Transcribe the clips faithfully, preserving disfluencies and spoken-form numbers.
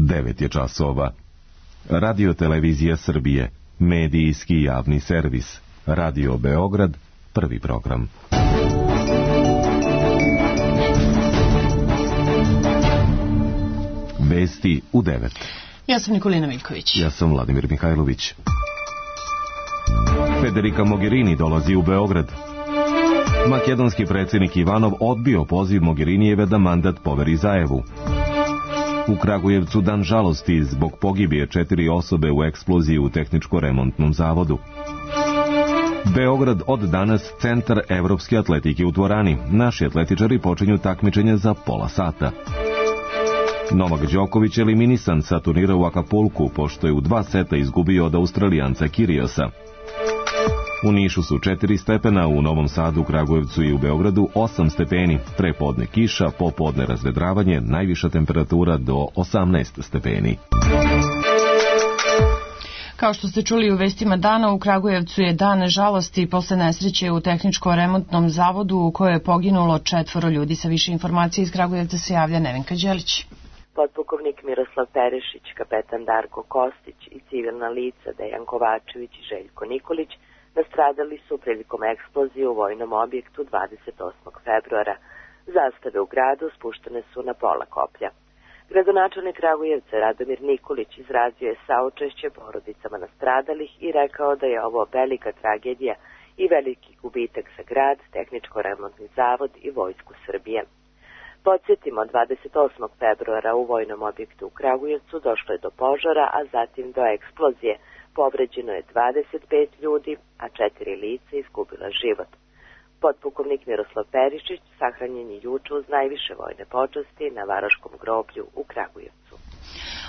devet je časova. Radio Televizija Srbije, medijski javni servis. Radio Beograd, prvi program. Vesti u devet. Ja sam Nikolina Miljković. Ja sam Vladimir Mihajlović. Federica Mogherini dolazi u Beograd. Makedonski predsjednik Ivanov odbio poziv Mogherinijeve da mandat poveri Zajevu. U Kragujevcu dan žalosti zbog pogibije četiri osobe u eksploziji u tehničko-remontnom zavodu. Beograd od danas centar evropske atletike u dvorani. Naši atletičari počinju takmičenje za pola sata. Novak Đoković eliminisan sa turnira u Akapulku, pošto je u dva seta izgubio od Australijanca Kyriosa. U Nišu su četiri stepena, u Novom Sadu, Kragujevcu i u Beogradu osam stepeni, prepodne kiša, popodne razvedravanje, najviša temperatura do osamnaest stepeni. Kao što ste čuli u vestima dana, u Kragujevcu je dan žalosti posle nesreće u tehničko-remontnom zavodu u kojoj je poginulo četvoro ljudi. Sa više informacije iz Kragujevca se javlja Nevenka Đelić. Potpukovnik Miroslav Perišić, kapetan Darko Kostić i civilna lica Dejan Kovačević i Željko Nikolić nastradali su prilikom eksplozije u vojnom objektu dvadeset osmog februara. Zastave u gradu spuštene su na pola koplja. Gradonačelnik Kragujevca Radomir Nikolić izrazio je saučešće porodicama nastradalih i rekao da je ovo velika tragedija i veliki gubitak za grad, tehničko-remontni zavod i vojsku Srbije. Podsjetimo, dvadeset osmog februara u vojnom objektu u Kragujevcu došlo je do požara, a zatim do eksplozije. Povređeno je dvadeset pet ljudi, a četiri lica izgubila život. Potpukovnik Miroslav Perišić sahranjen je juče uz najviše vojne počasti na Varoškom groblju u Kragujevcu.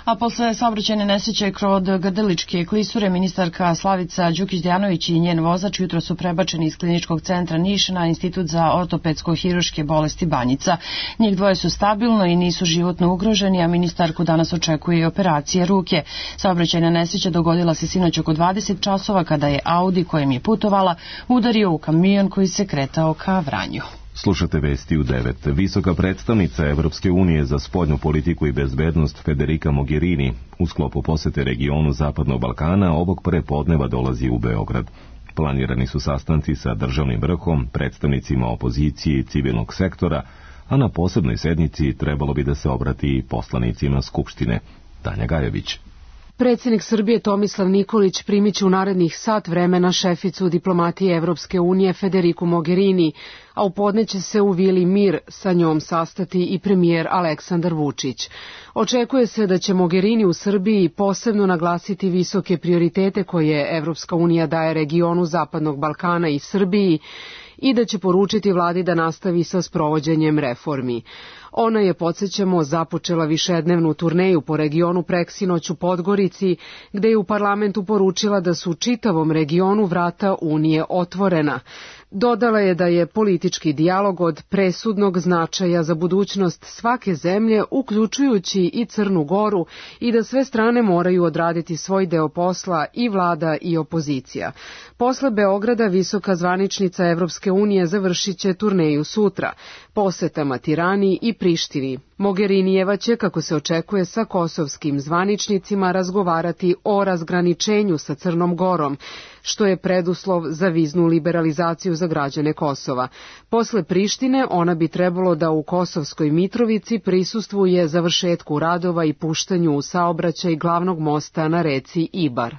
A posle saobraćajne nesreće kod Grdeličke klisure, ministarka Slavica Đukić-Dejanović i njen vozač jutro su prebačeni iz kliničkog centra Niš na Institut za ortopedsko-hiruške bolesti Banjica. Njih dvoje su stabilno i nisu životno ugroženi, a ministarku danas očekuje i operacije ruke. Saobraćajna nesreća dogodila se sinoć oko dvadeset časova kada je Audi kojem je putovala udario u kamion koji se kretao ka Vranju. Slušate vesti u devet. Visoka predstavnica Evropske unije za spoljnu politiku i bezbednost Federica Mogherini u sklopu posete regionu Zapadnog Balkana ovog prepodneva dolazi u Beograd. Planirani su sastanci sa državnim vrhom, predstavnicima opozicije i civilnog sektora, a na posebnoj sednici trebalo bi da se obrati i poslanicima Skupštine. Tanja Gajević. Predsjednik Srbije Tomislav Nikolić primiće u narednih sat vremena šeficu diplomatije Evropske unije Federiku Mogherini, a u podne će se u Vili Mir sa njom sastati i premijer Aleksandar Vučić. Očekuje se da će Mogherini u Srbiji posebno naglasiti visoke prioritete koje Evropska unija daje regionu Zapadnog Balkana i Srbiji i da će poručiti vladi da nastavi sa sprovođenjem reformi. Ona je, podsjećamo, započela višednevnu turneju po regionu preksinoć u Podgorici, gde je u parlamentu poručila da su čitavom regionu vrata Unije otvorena. Dodala je da je politički dijalog od presudnog značaja za budućnost svake zemlje, uključujući i Crnu Goru, i da sve strane moraju odraditi svoj deo posla, i vlada i opozicija. Posle Beograda visoka zvaničnica Evropske unije završit će turneju sutra, posetama Tirani i Prištini. Mogherinijeva će, kako se očekuje, sa kosovskim zvaničnicima razgovarati o razgraničenju sa Crnom Gorom, što je preduslov za viznu liberalizaciju za građane Kosova. Posle Prištine ona bi trebalo da u Kosovskoj Mitrovici prisustvuje završetku radova i puštanju u saobraćaj glavnog mosta na reci Ibar.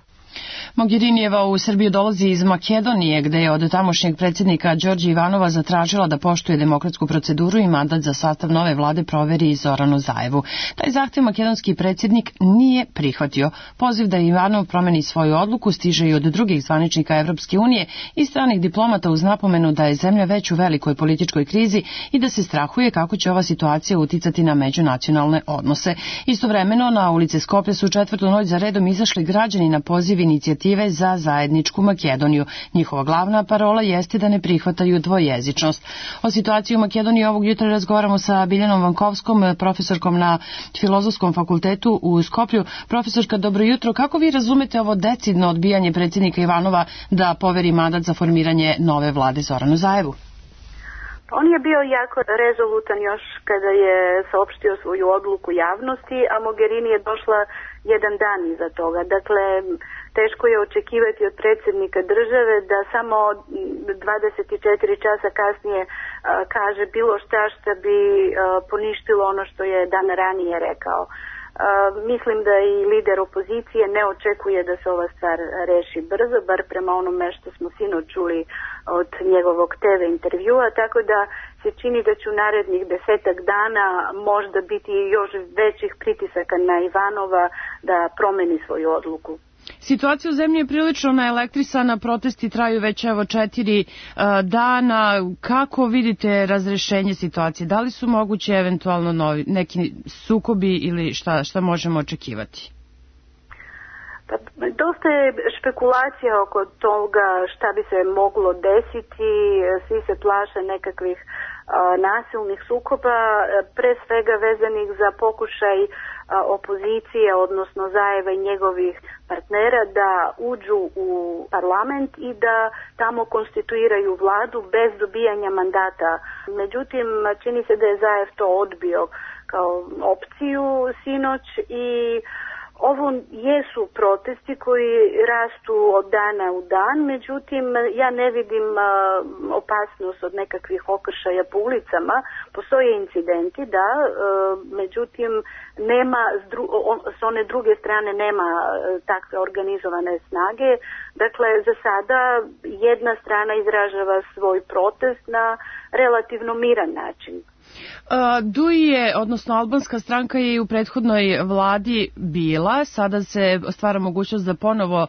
Mogherinijeva u Srbiju dolazi iz Makedonije, gde je od tamošnjeg predsjednika Đorđa Ivanova zatražila da poštuje demokratsku proceduru i mandat za sastav nove vlade proveri Zoranu Zajevu. Taj zahtev makedonski predsjednik nije prihvatio. Poziv da Ivanov promeni svoju odluku stiže i od drugih zvaničnika Evropske unije i stranih diplomata uz napomenu da je zemlja već u velikoj političkoj krizi i da se strahuje kako će ova situacija uticati na međunacionalne odnose. Istovremeno, na ulice Skoplja su četvrtu noć za redom izašli građani na poziv inicijative za zajedničku Makedoniju. Njihova glavna parola jeste da ne prihvataju dvojezičnost. O situaciji u Makedoniji ovog jutra razgovaramo sa Biljanom Vankovskom, profesorkom na Filozofskom fakultetu u Skoplju. Profesorka, dobro jutro. Kako vi razumete ovo decidno odbijanje predsjednika Ivanova da poveri mandat za formiranje nove vlade Zoranu Zajevu? On je bio jako rezolutan još kada je saopštio svoju odluku javnosti, a Mogherini je došla jedan dan iza toga. Dakle, teško je očekivati od predsjednika države da samo dvadeset četiri časa kasnije a, kaže bilo šta što bi a, poništilo ono što je dan ranije rekao. Uh, mislim da i lider opozicije ne očekuje da se ova stvar reši brzo, bar prema onome što smo sinoć čuli od njegovog te ve intervjua, tako da se čini da će u narednih desetak dana možda biti još većih pritisaka na Ivanova da promeni svoju odluku. Situacija u zemlji je prilično naelektrisana, protesti traju već evo četiri uh, dana. Kako vidite razrešenje situacije? Da li su moguće eventualno novi, neki sukobi ili šta, šta možemo očekivati? Pa, dosta je špekulacija oko toga šta bi se moglo desiti, svi se plaše nekakvih a, nasilnih sukoba, pre svega vezanih za pokušaj a, opozicije, odnosno Zajeva i njegovih partnera da uđu u parlament i da tamo konstituiraju vladu bez dobijanja mandata. Međutim, čini se da je Zajev to odbio kao opciju sinoć i ovo jesu protesti koji rastu od dana u dan, međutim ja ne vidim uh, opasnost od nekakvih okršaja po ulicama. Postoje incidenti, da, uh, međutim nema s, dru- on, s one druge strane nema uh, takve organizovane snage. Dakle, za sada jedna strana izražava svoj protest na relativno miran način. D U I je, odnosno albanska stranka je i u prethodnoj vladi bila, sada se stvara mogućnost da ponovo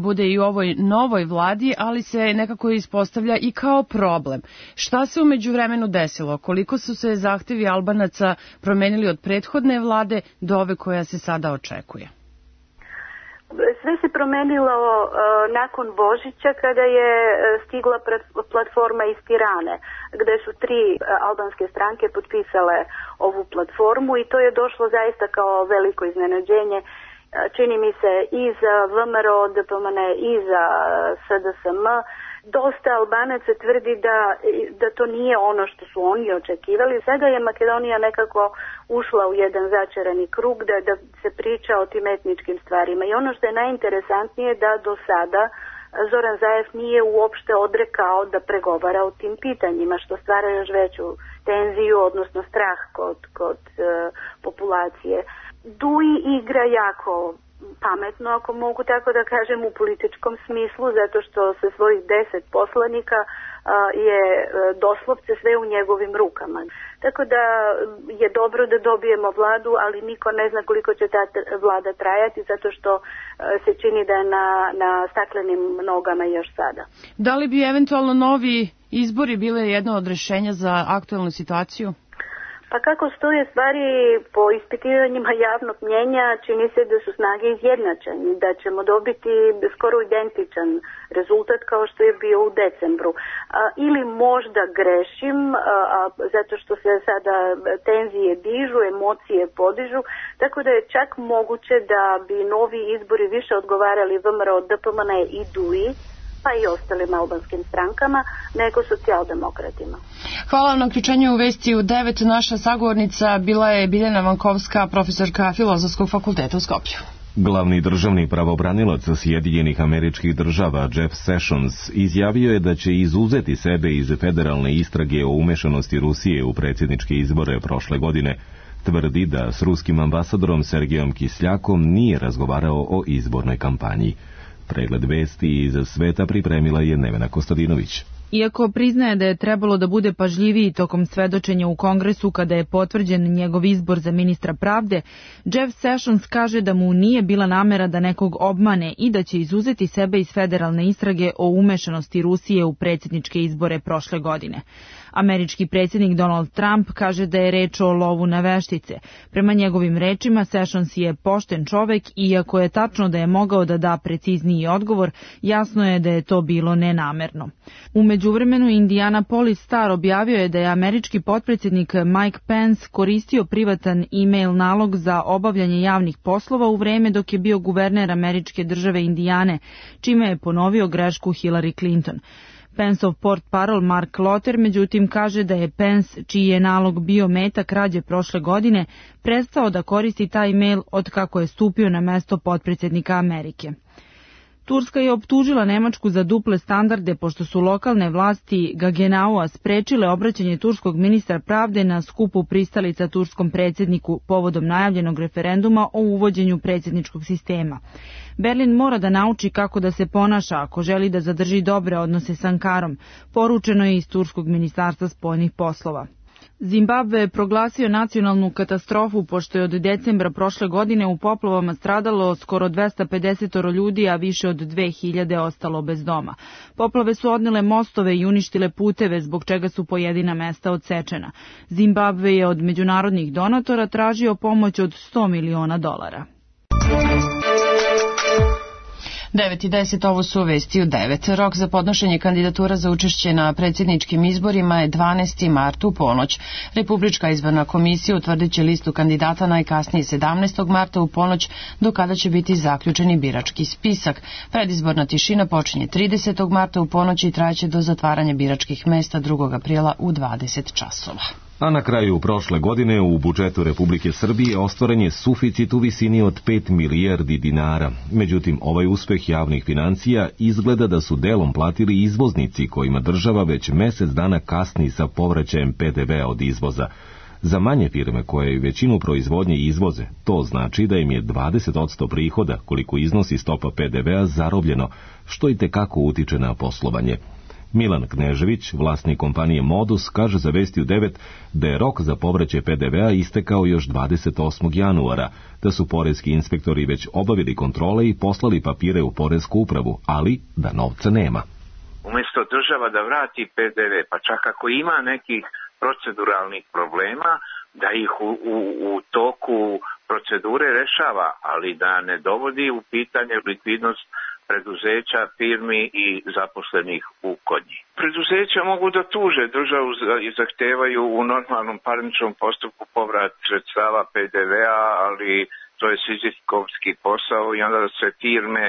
bude i u ovoj novoj vladi, ali se nekako ispostavlja i kao problem. Šta se u međuvremenu desilo? Koliko su se zahtevi Albanaca promenili od prethodne vlade do ove koja se sada očekuje? Sve se promenilo uh, nakon Božića kada je uh, stigla platforma iz Tirane, gde su tri uh, albanske stranke potpisale ovu platformu i to je došlo zaista kao veliko iznenađenje. Uh, čini mi se i za V M R O, D P M N i za S D S M. Dosta Albanaca tvrdi da, da to nije ono što su oni očekivali. Sada je Makedonija nekako ušla u jedan začarani krug da, da se priča o tim etničkim stvarima. I ono što je najinteresantnije da do sada Zoran Zajev nije uopšte odrekao da pregovara o tim pitanjima, što stvara još veću tenziju, odnosno strah kod, kod uh, populacije. D U I igra jako pametno, ako mogu tako da kažem, u političkom smislu, zato što sa svojih deset poslanika a, je a, doslovce sve u njegovim rukama. Tako da je dobro da dobijemo vladu, ali niko ne zna koliko će ta vlada trajati, zato što a, se čini da je na, na staklenim nogama još sada. Da li bi eventualno novi izbori bile jedno od rešenja za aktuelnu situaciju? Pa kako stoje stvari po ispitivanjima javnog mnjenja, čini se da su snage izjednačene, da ćemo dobiti skoro identičan rezultat kao što je bio u decembru. A, ili možda grešim, a, a, zato što se sada tenzije dižu, emocije podižu, tako da je čak moguće da bi novi izbori više odgovarali V M R O, D P M N i D U I, pa i ostalim albanskim strankama, nego socijaldemokratima. Hvala vam na uključenju u Vesti u devet. Naša sagovornica bila je Biljana Vankovska, profesorka Filozofskog fakulteta u Skoplju. Glavni državni pravobranilac Sjedinjenih Američkih Država Jeff Sessions izjavio je da će izuzeti sebe iz federalne istrage o umešanosti Rusije u predsjedničke izbore prošle godine. Tvrdi da s ruskim ambasadorom Sergejom Kisljakom nije razgovarao o izbornoj kampanji. Pregled vesti iz sveta pripremila je Nevena Kostadinović. Iako priznaje da je trebalo da bude pažljiviji tokom svedočenja u Kongresu kada je potvrđen njegov izbor za ministra pravde, Jeff Sessions kaže da mu nije bila namera da nekog obmane i da će izuzeti sebe iz federalne istrage o umešanosti Rusije u predsjedničke izbore prošle godine. Američki predsjednik Donald Trump kaže da je reč o lovu na veštice. Prema njegovim rečima, Sessions je pošten čovek i iako je tačno da je mogao da da precizniji odgovor, jasno je da je to bilo nenamerno. U međuvremenu Indianapolis Star objavio je da je američki potpredsjednik Mike Pence koristio privatan e-mail nalog za obavljanje javnih poslova u vreme dok je bio guverner američke države Indijane, čime je ponovio grešku Hillary Clinton. Penceov portparol Mark Lotter međutim kaže da je Pence, čiji je nalog bio meta krađe prošle godine, prestao da koristi taj mail od kako je stupio na mesto potpredsjednika Amerike. Turska je optužila Nemačku za duple standarde pošto su lokalne vlasti Gagenaua sprečile obraćanje turskog ministra pravde na skupu pristalica turskom predsjedniku povodom najavljenog referenduma o uvođenju predsjedničkog sistema. Berlin mora da nauči kako da se ponaša ako želi da zadrži dobre odnose s Ankarom, poručeno je iz turskog ministarstva spoljnih poslova. Zimbabve je proglasio nacionalnu katastrofu pošto je od decembra prošle godine u poplavama stradalo skoro dvesta pedeset ljudi, a više od dve hiljade ostalo bez doma. Poplave su odnele mostove i uništile puteve, zbog čega su pojedina mesta odsečena. Zimbabve je od međunarodnih donatora tražio pomoć od sto miliona dolara. devet i deset, ovo su vesti u devet. Rok za podnošenje kandidatura za učešće na predsjedničkim izborima je dvanaesti mart u ponoć. Republička izborna komisija utvrdit će listu kandidata najkasnije sedamnaestog marta u ponoć, do kada će biti zaključeni birački spisak. Predizborna tišina počinje tridesetog marta u ponoć i trajeće do zatvaranja biračkih mesta drugog aprila u dvadeset časova. A na kraju prošle godine u budžetu Republike Srbije ostvaren je suficit u visini od pet milijardi dinara. Međutim, ovaj uspeh javnih financija izgleda da su delom platili izvoznici kojima država već mesec dana kasni sa povraćajem pe de vea od izvoza. Za manje firme koje većinu proizvodnje izvoze, to znači da im je dvadeset posto prihoda koliko iznosi stopa pe de vea zarobljeno, što i tekako utiče na poslovanje. Milan Knežević, vlasnik kompanije Modus, kaže za Vesti u devet da je rok za povraćaj pe de vea istekao još dvadeset osmog januara, da su poreski inspektori već obavili kontrole i poslali papire u poresku upravu, ali da novca nema. Umjesto država da vrati pe de ve, pa čak ako ima nekih proceduralnih problema, da ih u, u, u toku procedure rešava, ali da ne dovodi u pitanje likvidnost preduzeća, firmi i zaposlenih u kod njih. Preduzeća mogu da tuže državu i zahtevaju u normalnom parničnom postupku povrat sredstava pe de vea, ali to je sizifovski posao i onda se firme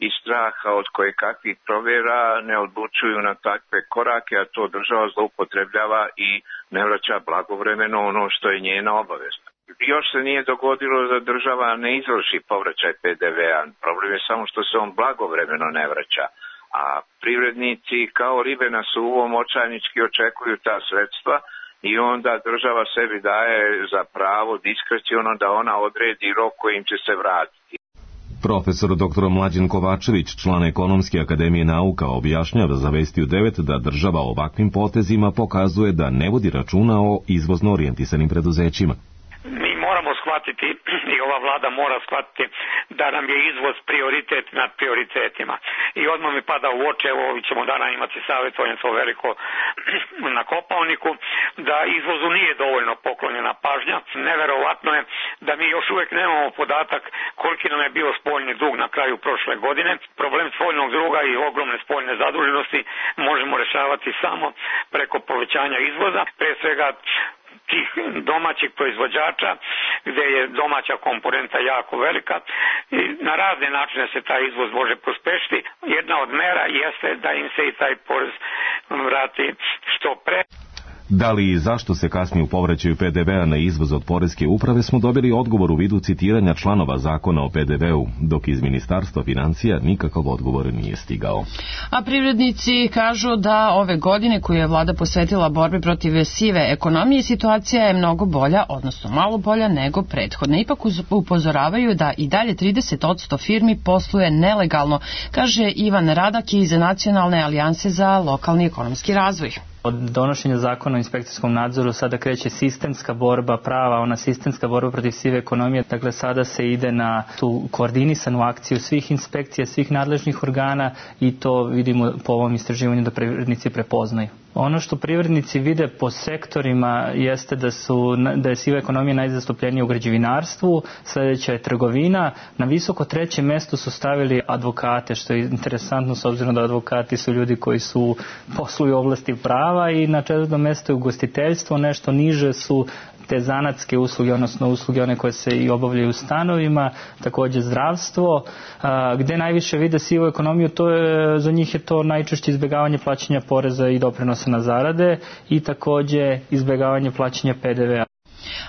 iz straha od koje kakvih provjera ne odlučuju na takve korake, a to država zloupotrebljava i ne vraća blagovremeno ono što je njena obaveza. Još se nije dogodilo da država ne izvrši povraćaj pe de vea. Problem je samo što se on blagovremeno ne vraća. A privrednici kao ribe na suvom očajnički očekuju ta sredstva i onda država sebi daje za pravo diskreciono da ona odredi rok kojim će se vratiti. Profesor doktor Mlađan Kovačević, član Ekonomske akademije nauka, objašnjava za Vesti u devet da država ovakvim potezima pokazuje da ne vodi računa o izvozno orijentisanim preduzećima. Moramo shvatiti i ova vlada mora shvatiti da nam je izvoz prioritet nad prioritetima. I odmah mi pada u oči, evo ovih ćemo dana imati savjetovanje to veliko na Kopalniku, da izvozu nije dovoljno poklonjena pažnja. Neverovatno je da mi još uvijek nemamo podatak koliki nam je bio spoljni dug na kraju prošle godine. Problem spoljnog duga i ogromne spoljne zaduženosti možemo rešavati samo preko povećanja izvoza, pre svega tih domaćih proizvođača, gdje je domaća komponenta jako velika i na razne načine se taj izvoz može pospešiti. Jedna od mera jeste da im se i taj porez vrati što pre. Da li i zašto se kasni u povraćaju pe de vea na izvoz od poreske uprave smo dobili odgovor u vidu citiranja članova zakona o pe de veu, dok iz Ministarstva financija nikakav odgovor nije stigao. A privrednici kažu da ove godine koju je vlada posvetila borbi protiv sive ekonomije, situacija je mnogo bolja, odnosno malo bolja nego prethodne. Ipak upozoravaju da i dalje trideset posto firmi posluje nelegalno, kaže Ivan Radak iz Nacionalne alijanse za lokalni ekonomski razvoj. Od donošenja zakona o inspekcijskom nadzoru sada kreće sistemska borba, prava ona sistemska borba protiv sive ekonomije. Dakle, sada se ide na tu koordinisanu akciju svih inspekcija, svih nadležnih organa i to vidimo po ovom istraživanju da privrednici prepoznaju. Ono što privrednici vide po sektorima jeste da, su, da je siva ekonomija najzastupljenija u građevinarstvu, sljedeća je trgovina, na visoko trećem mjestu su stavili advokate, što je interesantno s obzirom da advokati su ljudi koji su posluju u oblasti prava, i na četvrtom mjestu je ugostiteljstvo, nešto niže su te zanatske usluge, odnosno usluge one koje se i obavljaju u stanovima, također zdravstvo. A, gde najviše vide sivu ekonomiju, to je, za njih je to najčešće izbjegavanje plaćanja poreza i doprinosa na zarade i također izbjegavanje plaćanja P D V-a.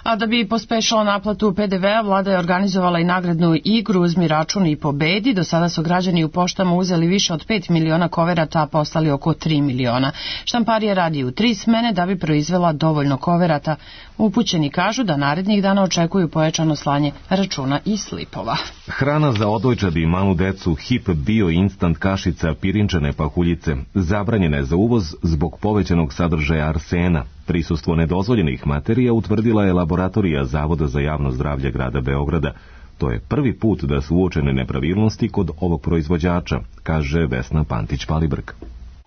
A da bi pospešila naplatu P D V-a, vlada je organizovala i nagradnu igru Uzmi račun i pobedi. Do sada su građani u poštama uzeli više od pet miliona koverata, a poslali oko tri miliona. Štamparija radi u tri smene da bi proizvela dovoljno koverata. Upućeni kažu da narednih dana očekuju pojačano slanje računa i slipova. Hrana za odojčad i malu decu, hip bio instant kašica, pirinčane pahuljice, zabranjena je za uvoz zbog povećanog sadržaja arsena. Prisustvo nedozvoljenih materija utvrdila je laboratorija Zavoda za javno zdravlje grada Beograda. To je prvi put da su uočene nepravilnosti kod ovog proizvođača, kaže Vesna Pantić-Palibrk.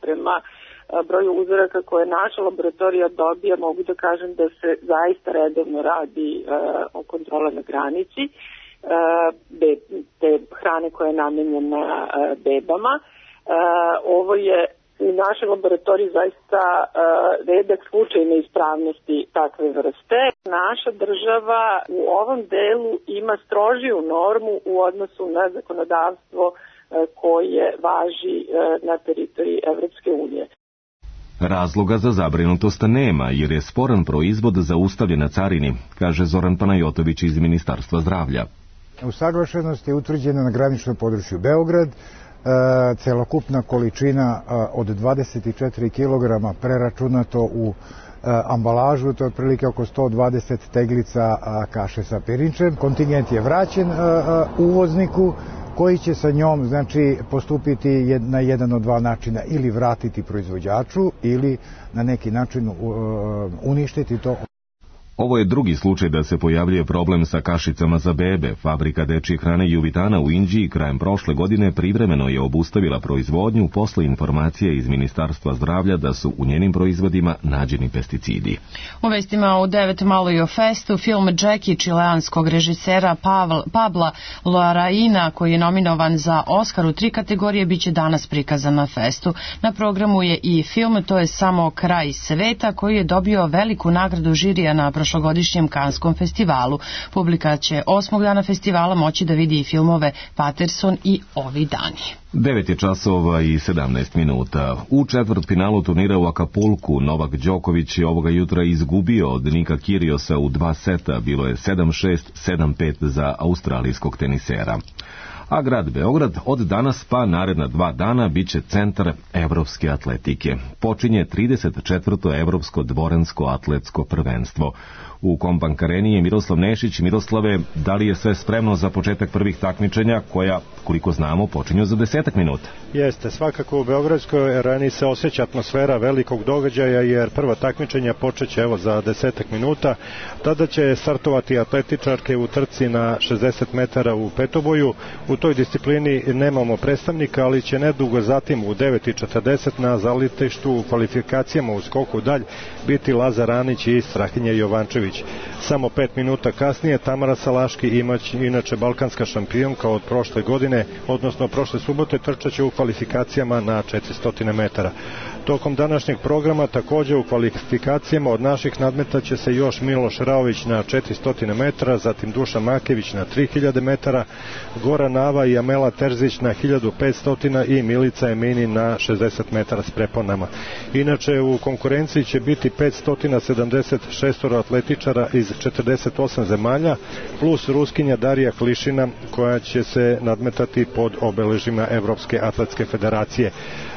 Prema broju uzoraka koje naša laboratorija dobija, mogu da kažem da se zaista redovno radi e, o kontrole na granici e, be, te hrane koja je namenjena e, bebama. E, ovo je u našoj laboratoriji zaista e, redak slučaj neispravnosti takve vrste. Naša država u ovom delu ima strožiju normu u odnosu na zakonodavstvo e, koje važi e, na teritoriji Evropske unije. Razloga za zabrinutost nema, jer je sporan proizvod zaustavljen na carini, kaže Zoran Panajotović iz Ministarstva zdravlja. Usaglašenost je utvrđena na graničnom području Beograd. E, celokupna količina e, od dvadeset četiri kilograma preračunato u e, ambalažu, to je otprilike oko sto dvadeset teglica a, kaše sa pirinčem. Kontingent je vraćen a, a, uvozniku, koji će sa njom, znači, postupiti na jedan od dva načina, ili vratiti proizvođaču ili na neki način uh, uništiti to. Ovo je drugi slučaj da se pojavljuje problem sa kašicama za bebe. Fabrika dečje hrane Juvitana u Inđiji krajem prošle godine privremeno je obustavila proizvodnju posle informacije iz Ministarstva zdravlja da su u njenim proizvodima nađeni pesticidi. U vestima u devet malo i o festu, film Jackie čileanskog režisera Pavl, Pabla Larraína, koji je nominovan za Oscar u tri kategorije, biće danas prikazan na festu. Na programu je i film To je samo kraj sveta, koji je dobio veliku nagradu žirija na prošlogodišnjem Kanskom festivalu. Publika će osmog dana festivala moći da vidi i filmove Patterson i Ovi dani. devet je časova i sedamnaest minuta. U četvrtfinalu turnira u Akapulku Novak Đoković je ovoga jutra izgubio od Nika Kyriosa u dva seta. Bilo je sedam šest, sedam pet za australijskog tenisera. A grad Beograd od danas pa naredna dva dana biće centar evropske atletike. Počinje trideset četvrto evropsko dvoransko atletsko prvenstvo. U Kombank areni je Miroslav Nešić. Miroslave, da li je sve spremno za početak prvih takmičenja koja, koliko znamo, počinju za desetak minuta? Jeste, svakako u Beogradskoj areni se osjeća atmosfera velikog događaja, jer prva takmičenja počeće evo za desetak minuta. Tada će startovati atletičarke u trci na šezdeset metara u petoboju. U toj disciplini nemamo predstavnika, ali će nedugo zatim u devet i četrdeset na zalitištu u kvalifikacijama u skoku dalj biti Lazar Anić i Strahinja Jovančević. Samo pet minuta kasnije Tamara Salaški, imać, inače balkanska šampionka od prošle godine, odnosno prošle subote, trčaće u kvalifikacijama na četiristo metara. Tokom današnjeg programa također u kvalifikacijama od naših nadmetaće se još Miloš Raović na četiristo metara, zatim Duša Makević na tri hiljade metara, Goran Nava i Amela Terzić na hiljadu petsto i Milica Emini na šezdeset metara s preponama. Inače u konkurenciji će biti petsto sedamdeset šest atletičara iz četrdeset osam zemalja, plus Ruskinja Darija Klišina koja će se nadmetati pod obeležima Evropske atletske federacije.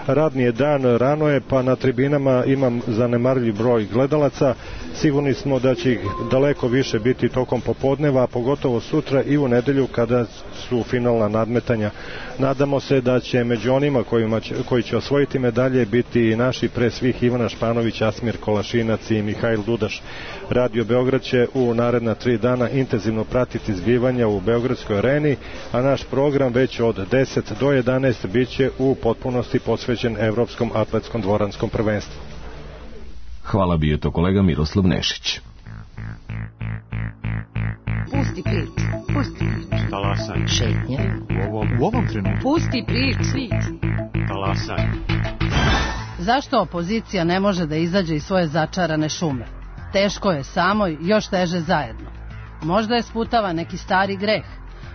Radni je dan, rano je, pa na tribinama imam zanemarljiv broj gledalaca. Sigurni smo da će ih daleko više biti tokom popodneva, a pogotovo sutra i u nedelju kada su finalna nadmetanja. Nadamo se da će među onima kojima će, koji će osvojiti medalje biti i naši, pre svih Ivana Španović, Asmir Kolašinac i Mihajl Dudaš. Radio Beograd će u naredna tri dana intenzivno pratiti zbivanja u Beogradskoj areni, a naš program već od deset do jedanaest bit će u potpunosti posvećen Evropskom atletskom dvoranskom prvenstvu. Hvala, bio je to kolega Miroslav Nešić. Pusti priču, pusti priču. Talasaj. Šetnja. U ovom, u ovom trenutku. Pusti priču. Talasaj. Zašto opozicija ne može da izađe iz svoje začarane šume? Teško je samo i još teže zajedno. Možda je sputava neki stari greh.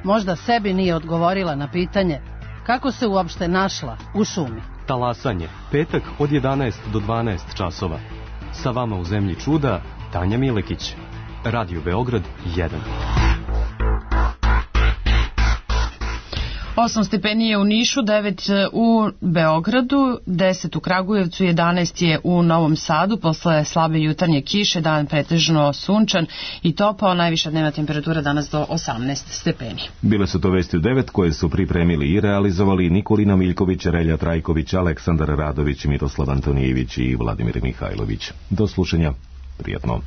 Možda sebi nije odgovorila na pitanje kako se uopšte našla u šumi. Talasanje, petak od jedanaest do dvanaest časova. Sa vama u zemlji čuda, Tanja Milekić. Radio Beograd jedan. osam stepeni je u Nišu, devet u Beogradu, deset u Kragujevcu, jedanaest je u Novom Sadu. Posle slabe jutarnje kiše dan pretežno sunčan i topao, najviša dnevna temperatura danas do osamnaest stepeni. Bile su to vesti u devet koje su pripremili i realizovali Nikolina Miljković, Relja Trajković, Aleksandar Radović, Miroslav Antonijević i Vladimir Mihajlović. Do slušanja, prijatno.